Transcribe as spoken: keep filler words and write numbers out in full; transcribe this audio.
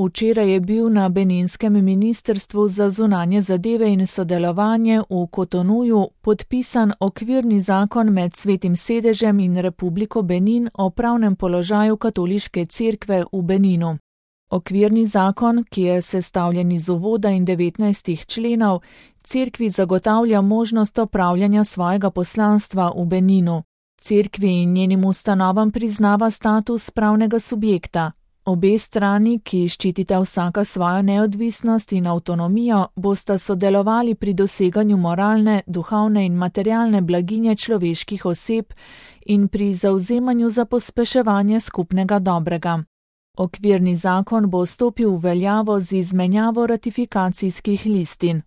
Včeraj je bil na Beninskem ministrstvu za zunanje zadeve in sodelovanje v Kotonuju podpisan okvirni zakon med Svetim sedežem in Republiko Benin o pravnem položaju katoliške cerkve v Beninu. Okvirni zakon, ki je sestavljen iz uvoda in devetnajstih členov, cerkvi zagotavlja možnost opravljanja svojega poslanstva v Beninu. Cerkvi in njenim ustanovam priznava status pravnega subjekta. Obe strani, ki ščitita vsaka svojo neodvisnost in avtonomijo, bosta sodelovali pri doseganju moralne, duhovne in materialne blaginje človeških oseb in pri zavzemanju za pospeševanje skupnega dobrega. Okvirni zakon bo stopil v veljavo z izmenjavo ratifikacijskih listin.